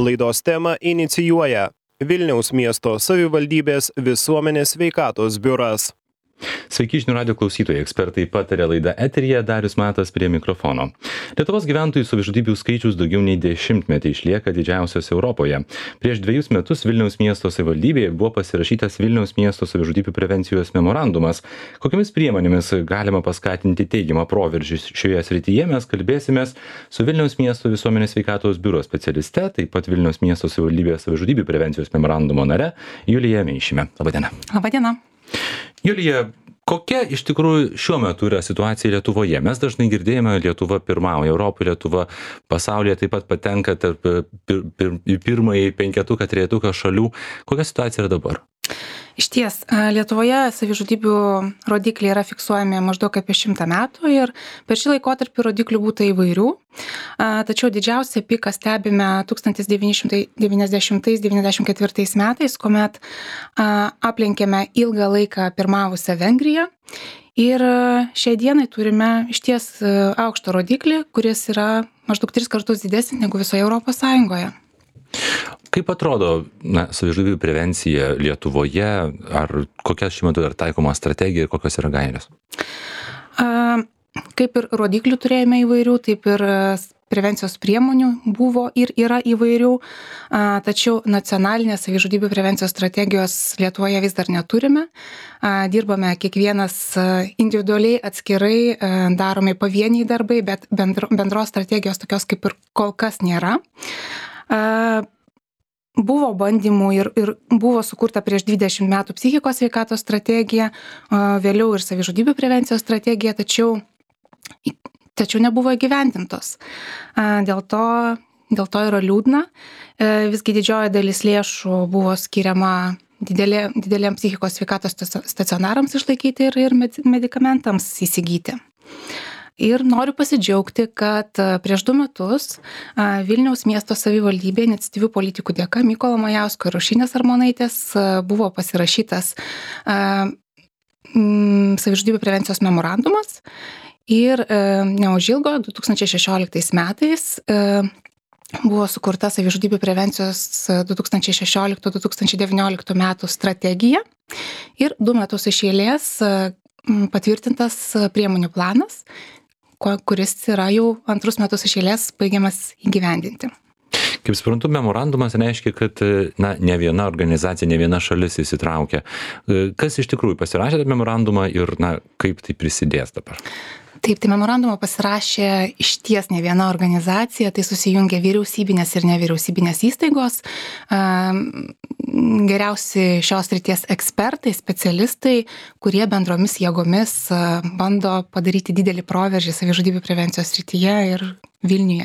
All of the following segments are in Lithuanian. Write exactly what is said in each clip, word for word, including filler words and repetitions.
Laidos temą inicijuoja Vilniaus miesto savivaldybės visuomenės sveikatos biuras. Sveiki žinių radijo klausytojai, ekspertai pataria laida eteryje, Darius Matas prie mikrofono. Lietuvos gyventojų savižudybių skaičius daugiau nei dešimtmetį išlieka didžiausias Europoje. Prieš dviejus metus Vilniaus miesto savivaldybėje buvo pasirašytas Vilniaus miesto savižudybių prevencijos memorandumas. Kokiamis priemonėmis galima paskatinti teigiamą proveržį šioje srityje, mes kalbėsimės su Vilniaus miesto visuomenės sveikatos biuro specialiste, taip pat Vilniaus miesto savivaldybės savižudybių prevencijos memorandumo nare Julija Meišime. Labadiena. Labadiena. Julija, kokia iš tikrųjų šiuo metu yra situacija Lietuvoje? Mes dažnai girdėjome, Lietuva pirmauja Europoje, Lietuva pasaulyje taip pat patenka tarp pir, pir, pirmąjį penketuką, trejetuką šalių. Kokia situacija yra dabar? Iš ties, Lietuvoje savižudybių rodikliai yra fiksuojami maždaug apie šimtą metų ir per šį laikotarpį rodiklių būta įvairių. Tačiau didžiausią piką stebime tūkstantis devyni šimtai devyniasdešimtais devyniasdešimt ketvirtais metais, kuomet aplenkėme ilgą laiką pirmavusią Vengriją. Ir šiai dienai turime iš ties aukštą rodiklį, kuris yra maždaug tris kartus didesnis negu visoje Europos Sąjungoje. Kaip atrodo na, savižudybių prevencija Lietuvoje, ar kokia šiuo metu yra taikoma strategija ir kokios yra gairės? Kaip ir rodiklių turėjome įvairių, taip ir prevencijos priemonių buvo ir yra įvairių, tačiau nacionalinės savižudybių prevencijos strategijos Lietuvoje vis dar neturime. Dirbame kiekvienas individualiai, atskirai, daromi pavieniai darbai, bet bendros strategijos tokios kaip ir kol kas nėra. Buvo bandymų ir, ir buvo sukurta prieš dvidešimt metų psichikos sveikatos strategija, vėliau ir savižudybių prevencijos strategija, tačiau, tačiau nebuvo įgyvendintos. Dėl to, dėl to yra liūdna. Visgi didžioji dalis lėšų buvo skiriama didelė, didelėm psichikos sveikatos stacionarams išlaikyti ir, ir medikamentams įsigyti. Ir noriu pasidžiaugti, kad prieš du metus Vilniaus miesto savivaldybė iniciatyvių politikų dėka Mykolo Majausko ir Aušrinės Armonaitės buvo pasirašytas savižudybių prevencijos memorandumas ir neužilgo du tūkstančiai šešioliktais metais buvo sukurta savižudybių prevencijos du tūkstančiai šešioliktų - du tūkstančiai devynioliktų metų strategija ir du metus iš eilės patvirtintas priemonių planas, kuris yra jau antrus metus iš eilės baigiamas įgyvendinti. Kaip suprantu, memorandumas reiškia, kad na, ne viena organizacija, ne viena šalis įsitraukia. Kas iš tikrųjų pasirašė tą memorandumą ir na, kaip tai prisidės dabar? Taip, tai memorandumą pasirašė iš ties ne viena organizacija, tai susijungė vyriausybinės ir nevyriausybinės įstaigos, geriausi šios srities ekspertai, specialistai, kurie bendromis jėgomis bando padaryti didelį proveržį savižudybių prevencijos srityje ir Vilniuje.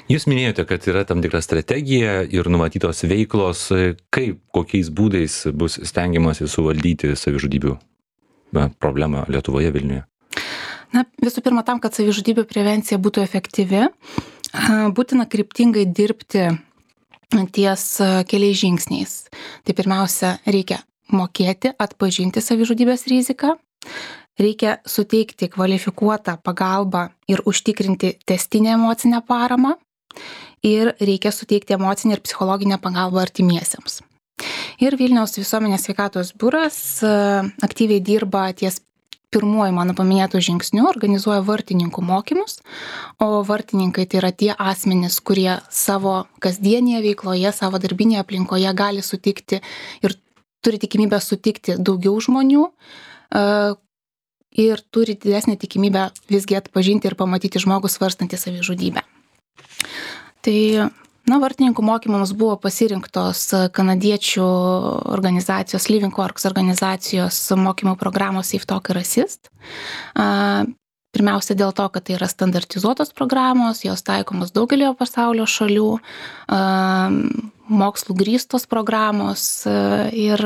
Jūs minėjote, kad yra tam tikra strategija ir numatytos veiklos, kaip, kokiais būdais bus stengiamasi suvaldyti savižudybių problemą Lietuvoje, Vilniuje? Na, visų pirma, tam, kad savižudybių prevencija būtų efektyvi, būtina kryptingai dirbti ties keliais žingsniais. Tai pirmiausia, reikia mokėti atpažinti savižudybės riziką, reikia suteikti kvalifikuotą pagalbą ir užtikrinti tęstinę emocinę paramą ir reikia suteikti emocinę ir psichologinę pagalbą artimiesiems. Ir Vilniaus visuomenės sveikatos biuras aktyviai dirba ties pirmuoju mano paminėtų žingsnių, organizuoja vartininkų mokymus, o vartininkai tai yra tie asmenys, kurie savo kasdienėje veikloje, savo darbinėje aplinkoje gali sutikti ir turi tikimybę sutikti daugiau žmonių ir turi didesnę tikimybę visgi atpažinti ir pamatyti žmogų svarstantį savižudybę. Tai Na, vartininkų mokymams buvo pasirinktos kanadiečių organizacijos, Living Works organizacijos mokymo programos Safe Talk ir Assist. Pirmiausia dėl to, kad tai yra standartizuotos programos, jos taikomos daugelio pasaulio šalių, mokslų grįstos programos ir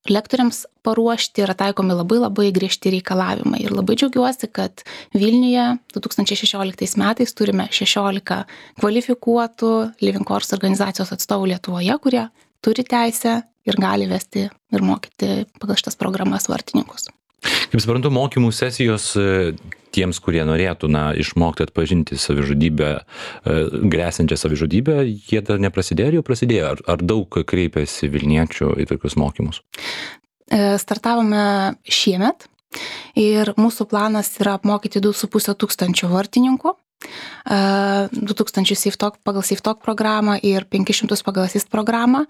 lektoriams paruošti yra taikomi labai labai griežti reikalavimai. Ir labai džiaugiuosi, kad Vilniuje du tūkstančiai šešioliktais metais turime šešiolika kvalifikuotų Living Works organizacijos atstovų Lietuvoje, kurie turi teisę ir gali vesti ir mokyti pagal šitas programas vartininkus. Kaip suprantu, mokymų sesijos tiems, kurie norėtų, na, išmokti atpažinti savižudybę, grėsiančią savižudybę, jie dar neprasidėjo ar jau prasidėjo? Ar, ar daug kreipiasi vilniečių į tokius mokymus? Startavome šiemet ir mūsų planas yra apmokyti du su puse tūkstančio vartininkų. du tūkstančius SafeTalk pagal SafeTalk programą ir penkis šimtus pagal Assist programą.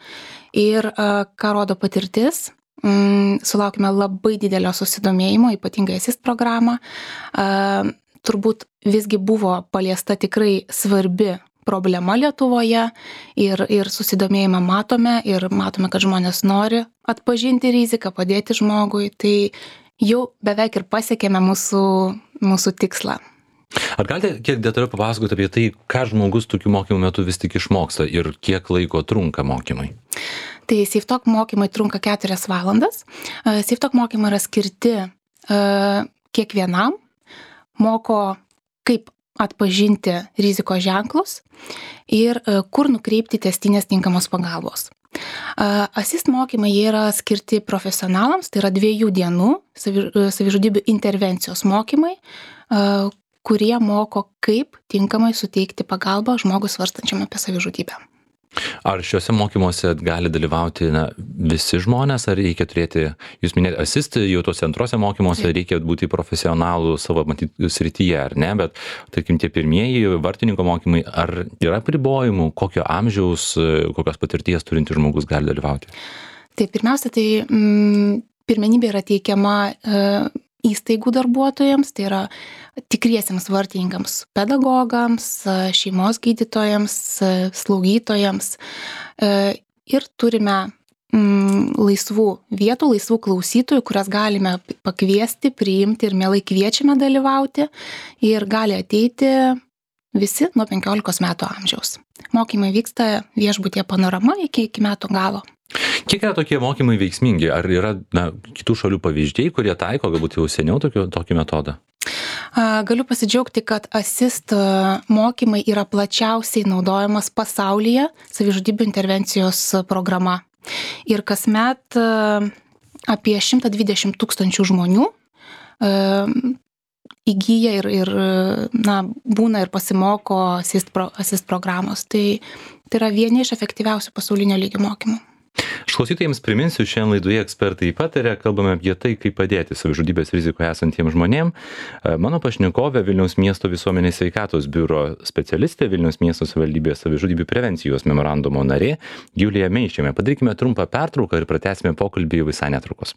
Ir ką rodo patirtis, sulaukime labai didelio susidomėjimo, ypatingai Assist programą. Turbūt visgi buvo paliesta tikrai svarbi problema Lietuvoje ir, ir susidomėjimą matome ir matome, kad žmonės nori atpažinti riziką, padėti žmogui. Tai jau beveik ir pasiekėme mūsų, mūsų tikslą. Ar galite kiek detaliau papasakoti apie tai, ką žmogus tokių mokymų metu vis tik išmoksta ir kiek laiko trunka mokymai? Tai SafeTalk mokymai trunka keturias valandas. SafeTalk mokymai yra skirti uh, kiekvienam, moko kaip atpažinti rizikos ženklus ir uh, kur nukreipti testinės tinkamos pagalbos. Uh, Assist mokymai jie yra skirti profesionalams, tai yra dviejų dienų savi, savižudybių intervencijos mokymai, uh, kurie moko, kaip tinkamai suteikti pagalbą žmogui svarstančiam apie savižudybę. Ar šiuose mokymuose gali dalyvauti, na, visi žmonės, ar reikia turėti, jūs minėjote, Assist, jau tuose antrose mokymuose reikia būti profesionalų savo matyti srityje, ar ne, bet, tarkim, tie pirmieji vartininko mokymai, ar yra apribojimų, kokio amžiaus, kokios patirties turintis žmogus gali dalyvauti? Tai pirmiausia, tai mm, pirmenybė yra teikiama e, įstaigų darbuotojams, tai yra tikriesiems vartininkams, pedagogams, šeimos gydytojams, slaugytojams. Ir turime laisvų vietų, laisvų klausytojų, kurias galime pakviesti, priimti ir mielai kviečiame dalyvauti. Ir gali ateiti visi nuo penkiolikos metų amžiaus. Mokymai vyksta viešbutyje Panorama iki, iki metų galo. Kiek yra tokie mokymai veiksmingi? Ar yra, na, kitų šalių pavyzdžiai, kurie taiko galbūt jau seniau tokio, tokį metodą? Galiu pasidžiaugti, kad Assist mokymai yra plačiausiai naudojamas pasaulyje savižudybių intervencijos programa. Ir kasmet apie šimtą dvidešimt tūkstančių žmonių įgyja ir, ir na, būna ir pasimoko Assist, pro, Assist programos. Tai, tai yra vieni iš efektyviausių pasaulinio lygio mokymų. Aš klausytojams priminsiu, šiandien laidoje ekspertai pataria, kalbame apie tai, kaip padėti savižudybės rizikoje esantiems žmonėms. Mano pašnekovė Vilniaus miesto visuomenės sveikatos biuro specialistė, Vilniaus miesto savivaldybės savižudybių prevencijos memorandumo narė Julija Meišėmė. Padarykime trumpą pertrauką ir pratęsime pokalbį visai netrukus.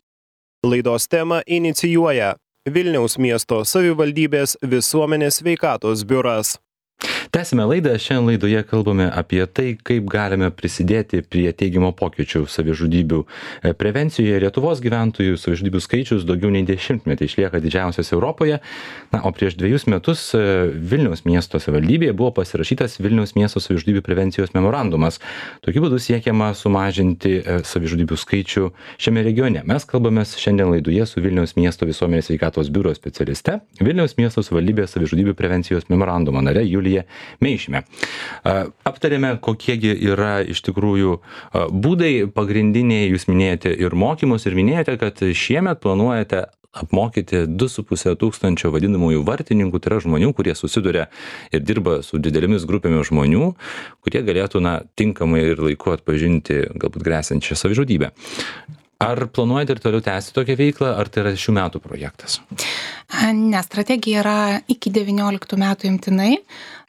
Laidos temą inicijuoja Vilniaus miesto savivaldybės visuomenės sveikatos biuras. Tęsime laidą. Šiandien laidoje kalbame apie tai, kaip galime prisidėti prie teigiamo pokyčių savižudybių prevencijoje. Lietuvos gyventojų savižudybių skaičius daugiau nei dešimtmetį išlieka didžiausias Europoje. Na, o prieš dviejus metus Vilniaus miesto savivaldybėje buvo pasirašytas Vilniaus miesto savižudybių prevencijos memorandumas. Tokiu būdu siekiama sumažinti savižudybių skaičių šiame regione. Mes kalbamės šiandien laidoje su Vilniaus miesto visuomenės sveikatos biuro specialiste, Vilniaus miesto savivaldybės savižudybių prevencijos memorandumo nare Julija Meišėmė. Aptarėme, kokiegi yra iš tikrųjų būdai pagrindiniai, jūs minėjote ir mokymus, ir minėjote, kad šiemet planuojate apmokyti du su puse tūkstančio vadinamųjų vartininkų, tai yra žmonių, kurie susiduria ir dirba su didelėmis grupėmis žmonių, kurie galėtų, na, tinkamai ir laiku atpažinti galbūt grėsiančią savižudybę. Ar planuojate ir toliau tęsti tokią veiklą, ar tai yra šių metų projektas? Ne, strategija yra iki devynioliktų metų imtinai,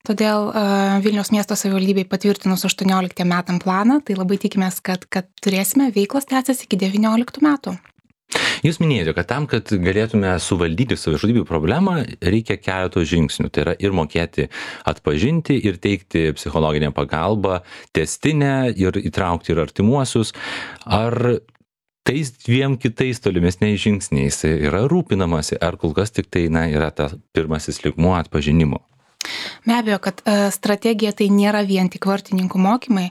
todėl uh, Vilniaus miesto savivaldybei patvirtinus aštuonioliktiem metam planą, tai labai tikimės, kad, kad turėsime veiklos tęsis iki devynioliktų metų. Jūs minėjote, kad tam, kad galėtume suvaldyti savižudybių problemą, reikia keletos žingsnių. Tai yra ir mokėti atpažinti, ir teikti psichologinę pagalbą, testinę, ir įtraukti ir artimuosius. Ar tais dviem kitais tolimesniais žingsniais yra rūpinamasi, ar kol kas tik tai, na, yra tas pirmasis lygmuo atpažinimo? Be abejo, kad strategija tai nėra vien tik vartininkų mokymai.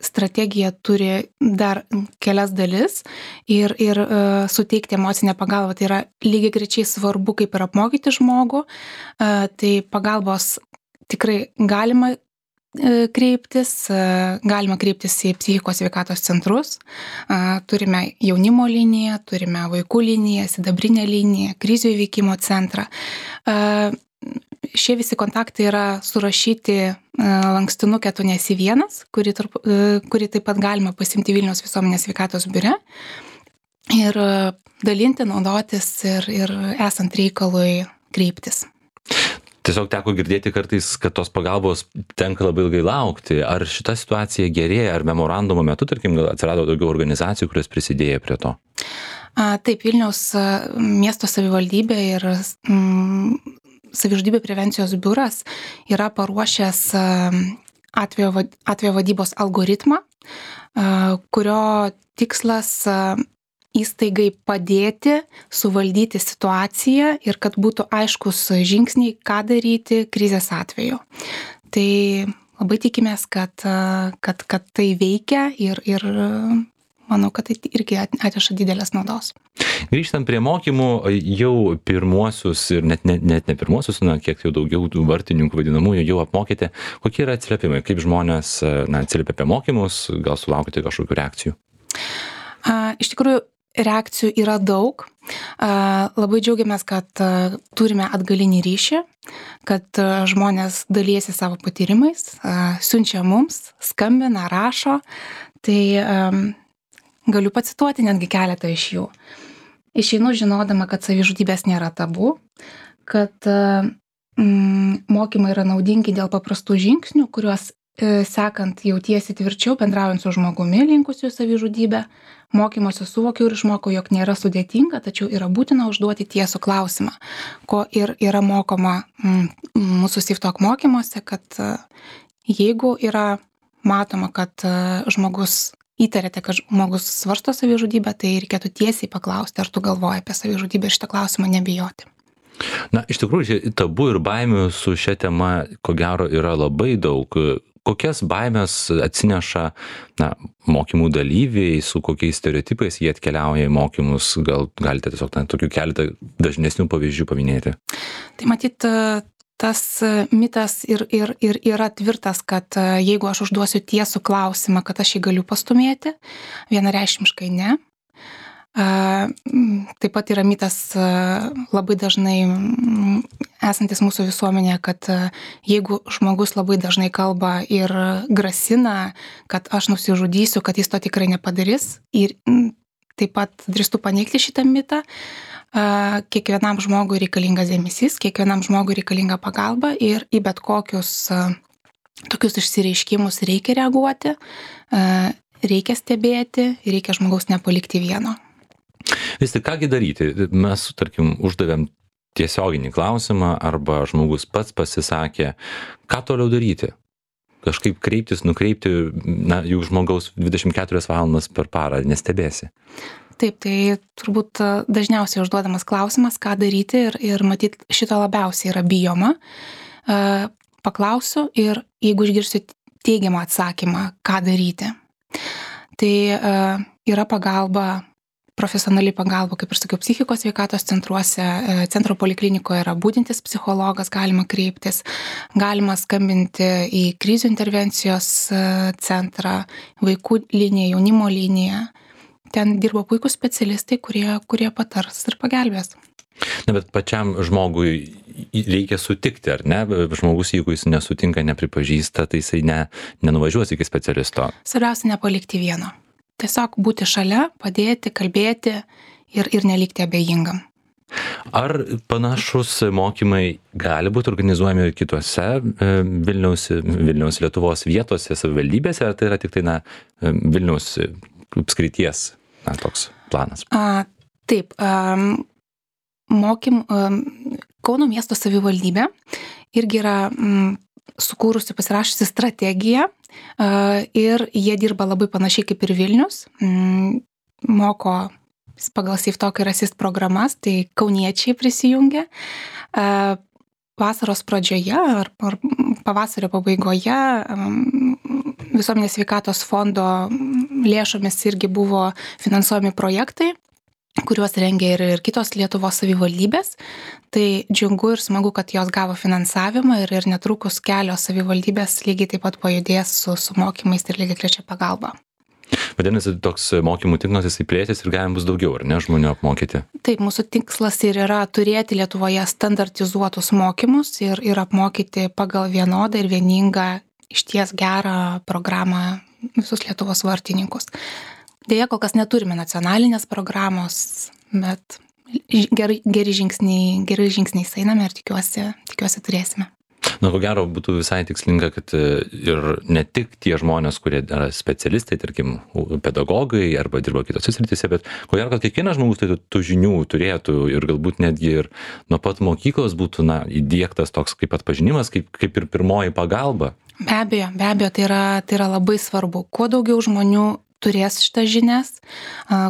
Strategija turi dar kelias dalis ir, ir suteikti emocinę pagalbą. Tai yra lygiai grečiai svarbu, kaip ir apmokyti žmogų. Tai pagalbos tikrai galima kreiptis, galima kreiptis į psichikos sveikatos centrus. Turime jaunimo liniją, turime vaikų liniją, sidabrinę liniją, krizių įveikimo centrą. Šie visi kontaktai yra surašyti lankstinukė tu nesi vienas, kurį, tarp, kurį taip pat galima pasimti Vilniaus visuomenės sveikatos biure ir dalinti, naudotis ir, ir esant reikalui kreiptis. Tiesiog teko girdėti kartais, kad tos pagalbos tenka labai ilgai laukti. Ar šita situacija gerėja, ar memorandumo metu, tarkim, atsirado daugiau organizacijų, kurios prisidėjo prie to? Taip, Vilniaus miesto savivaldybė ir mm, savižudybių prevencijos biuras yra paruošęs atvejo, atvejo vadybos algoritmą, kurio tikslas įstaigai padėti suvaldyti situaciją ir kad būtų aiškus žingsniai, ką daryti krizės atveju. Tai labai tikimės, kad, kad, kad tai veikia ir, ir manau, kad tai irgi atneša didelės naudos. Grįžtant prie mokymų, jau pirmuosius ir net ne, net ne pirmuosius, na, kiek jau daugiau tų vartininkų vadinamųjų jau apmokėte. Kokie yra atsiliepimai? Kaip žmonės na, atsiliepia apie mokymus? Gal sulaukite kažkokių reakcijų? A, iš tikrųjų, reakcijų yra daug. Labai džiaugiamės, kad turime atgalinį ryšį, kad žmonės dalyjasi savo patyrimais, siunčia mums, skambina, rašo. Tai galiu pacituoti netgi keletą iš jų. Išeinu žinodama, kad savižudybės nėra tabu, kad mm, mokymai yra naudingi dėl paprastų žingsnių, kuriuos sekant jautiesi tvirčiau, bendraujant su žmogumi linkusiu savižudybę. Mokymosi suvokiau ir išmokau, jog nėra sudėtinga, tačiau yra būtina užduoti tiesų klausimą, ko ir yra mokoma mūsų SIFTOK mokymuose, kad jeigu yra matoma, kad žmogus įtarėte, kad žmogus svarsto savižudybę, tai reikėtų tiesiai paklausti, ar tu galvoji apie savižudybę ir šitą klausimą nebijoti. Na, iš tikrųjų, tabu ir baimių su šia tema, ko gero, yra labai daug. Kokias baimės atsineša na, mokymų dalyviai, su kokiais stereotipais jie atkeliauja į mokymus? Gal galite tiesiog na, tokių keletą dažnesnių pavyzdžių paminėti? Tai matyt, tas mitas ir, ir, ir yra tvirtas, kad jeigu aš užduosiu tiesų klausimą, kad aš jį galiu pastumėti, vienareikšmiškai ne. Taip pat yra mitas labai dažnai esantis mūsų visuomenėje, kad jeigu žmogus labai dažnai kalba ir grasina, kad aš nusižudysiu, kad jis to tikrai nepadarys, ir taip pat drįstu paneigti šitą mitą, kiekvienam žmogui reikalingas dėmesys, kiekvienam žmogui reikalinga pagalba ir į bet kokius tokius išsireiškimus reikia reaguoti, reikia stebėti, reikia žmogaus nepalikti vieno. Vis tik kągi daryti? Mes, tarkim, uždavėm tiesioginį klausimą arba žmogus pats pasisakė, ką toliau daryti? Kažkaip kreiptis, nukreipti, na, jų žmogaus dvidešimt keturias valandas per parą nestebėsi. Taip, tai turbūt dažniausiai užduodamas klausimas, ką daryti ir, ir matyt, šito labiausiai yra bijoma. Paklausiu ir jeigu išgirsiu teigiamą atsakymą, ką daryti. Tai yra pagalba, profesionali pagalba, kaip ir sakiau, psichikos sveikatos centruose, centro poliklinikoje yra budintis psichologas, galima kreiptis, galima skambinti į krizių intervencijos centrą, vaikų liniją, jaunimo liniją. Ten dirba puikūs specialistai, kurie, kurie patars ir pagelbės. Na, bet pačiam žmogui reikia sutikti, ar ne? Žmogus, jeigu jis nesutinka, nepripažįsta, tai jisai ne, nenuvažiuos iki specialisto. Svarbiausia nepalikti vieno. Tiesiog būti šalia, padėti, kalbėti ir, ir nelikti abejingam. Ar panašus mokymai gali būti organizuojami ir kitose Vilniaus, Vilniaus Lietuvos vietose, savivaldybėse, ar tai yra tik tai na, Vilniaus apskrities na, toks planas? A, taip, um, mokym, um, Kauno miesto savivaldybė irgi yra um, sukūrusi, pasirašusi strategiją uh, ir jie dirba labai panašiai kaip ir Vilnius, um, moko pagal SIFTOK ir ASIST programas, tai kauniečiai prisijungia. Uh, vasaros pradžioje ar, ar pavasario pabaigoje um, Visuomenės sveikatos fondo lėšomis irgi buvo finansuojami projektai, kuriuos rengia ir, ir kitos Lietuvos savivaldybės. Tai džiugu ir smagu, kad jos gavo finansavimą ir, ir netrukus kelios savivaldybės lygiai taip pat pajudės su, su mokymais ir lygiai trečia pagalba. Vadinasi, toks mokymų tinklas jisai plėsis ir galim bus daugiau, ar ne, žmonių apmokyti? Taip, mūsų tikslas ir yra turėti Lietuvoje standartizuotus mokymus ir, ir apmokyti pagal vienodą ir vieningą išties gerą programą visus Lietuvos vartininkus. Deja, kol kas neturime nacionalinės programos, bet gerai, geri žingsniai, gerai žingsniais einame ir tikiuosi, tikiuosi turėsime. Na, ko gero, būtų visai tikslinga, kad ir ne tik tie žmonės, kurie yra specialistai, tarkim, pedagogai arba dirba kitose srityse, bet ko gero, kad kiekvienas žmogus tai tų žinių turėtų ir galbūt netgi ir nuo pat mokyklos būtų, na, įdiegtas toks kaip atpažinimas, kaip, kaip ir pirmoji pagalba. Be abejo, be abejo, tai yra, tai yra labai svarbu. Kuo daugiau žmonių turės šitas žinias,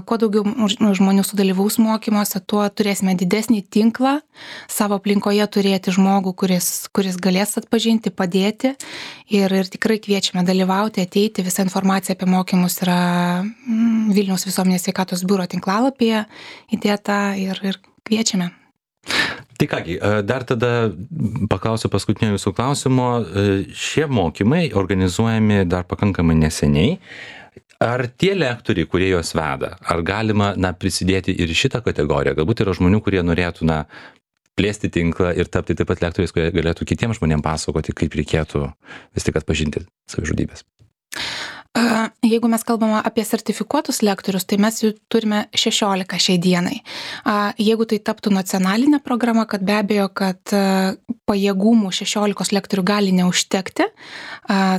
kuo daugiau žmonių sudalyvaus mokymuose, tuo turėsime didesnį tinklą savo aplinkoje turėti žmogų, kuris, kuris galės atpažinti, padėti ir, ir tikrai kviečiame dalyvauti, ateiti. Visa informacija apie mokymus yra Vilniaus visuomenės sveikatos biuro tinklalapyje įdėta ir, ir kviečiame. Tai kągi, dar tada paklausiu paskutinio jūsų klausimo. Šie mokymai organizuojami dar pakankamai neseniai. Ar tie lektoriai, kurie juos veda, ar galima, na, prisidėti ir šitą kategoriją? Galbūt yra žmonių, kurie norėtų, na, plėsti tinklą ir tapti taip pat lektoriais, kurie galėtų kitiems žmonėms pasakoti, kaip reikėtų vis tik atpažinti savižudybės. Jeigu mes kalbame apie sertifikuotus lektorius, tai mes jų turime šešiolika šiai dienai. Jeigu tai taptų nacionalinė programa, kad be abejo, kad pajėgumų šešiolikos lektorių gali neužtekti,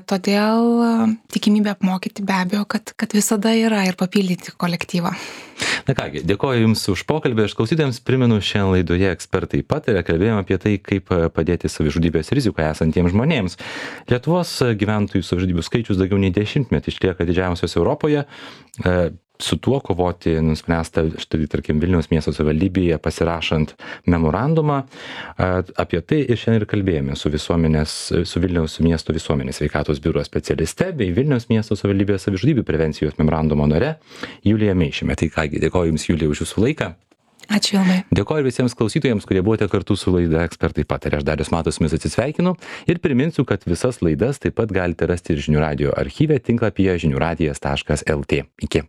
todėl tikimybė apmokyti be abejo, kad, kad visada yra ir papildyti kolektyvą. Na kągi, dėkoju Jums už pokalbį. Aš klausytojams primenu, šiandien laidoje ekspertai pataria, kalbėjome apie tai, kaip padėti savižudybės rizikoje esantiems žmonėms. Lietuvos gyventojų savižudybių skaičius daugiau nei dešimtmetį išlieka didžiausios Europoje. Su tuo kovoti nuspręsta, štai, tarkim, Vilniaus miesto savivaldybėje pasirašant memorandumą. Apie tai ir šiandien ir kalbėjome su, su Vilniaus miesto visuomenės sveikatos biuro specialiste bei Vilniaus miesto savivaldybės savižudybių prevencijos memorandumo nare Julija Meišime. Tai kągi, dėkoju Jums, Julija, už Jūsų laiką. Ačiū labai. Dėkoju visiems klausytojams, kurie buvote kartu su laida Ekspertai pataria. Aš Darius Matas su jumis atsisveikinu ir priminsiu, kad visas laidas taip pat galite rasti ir Žinių radijo archyve tinklapyje žinių radijas taškas lt. Iki.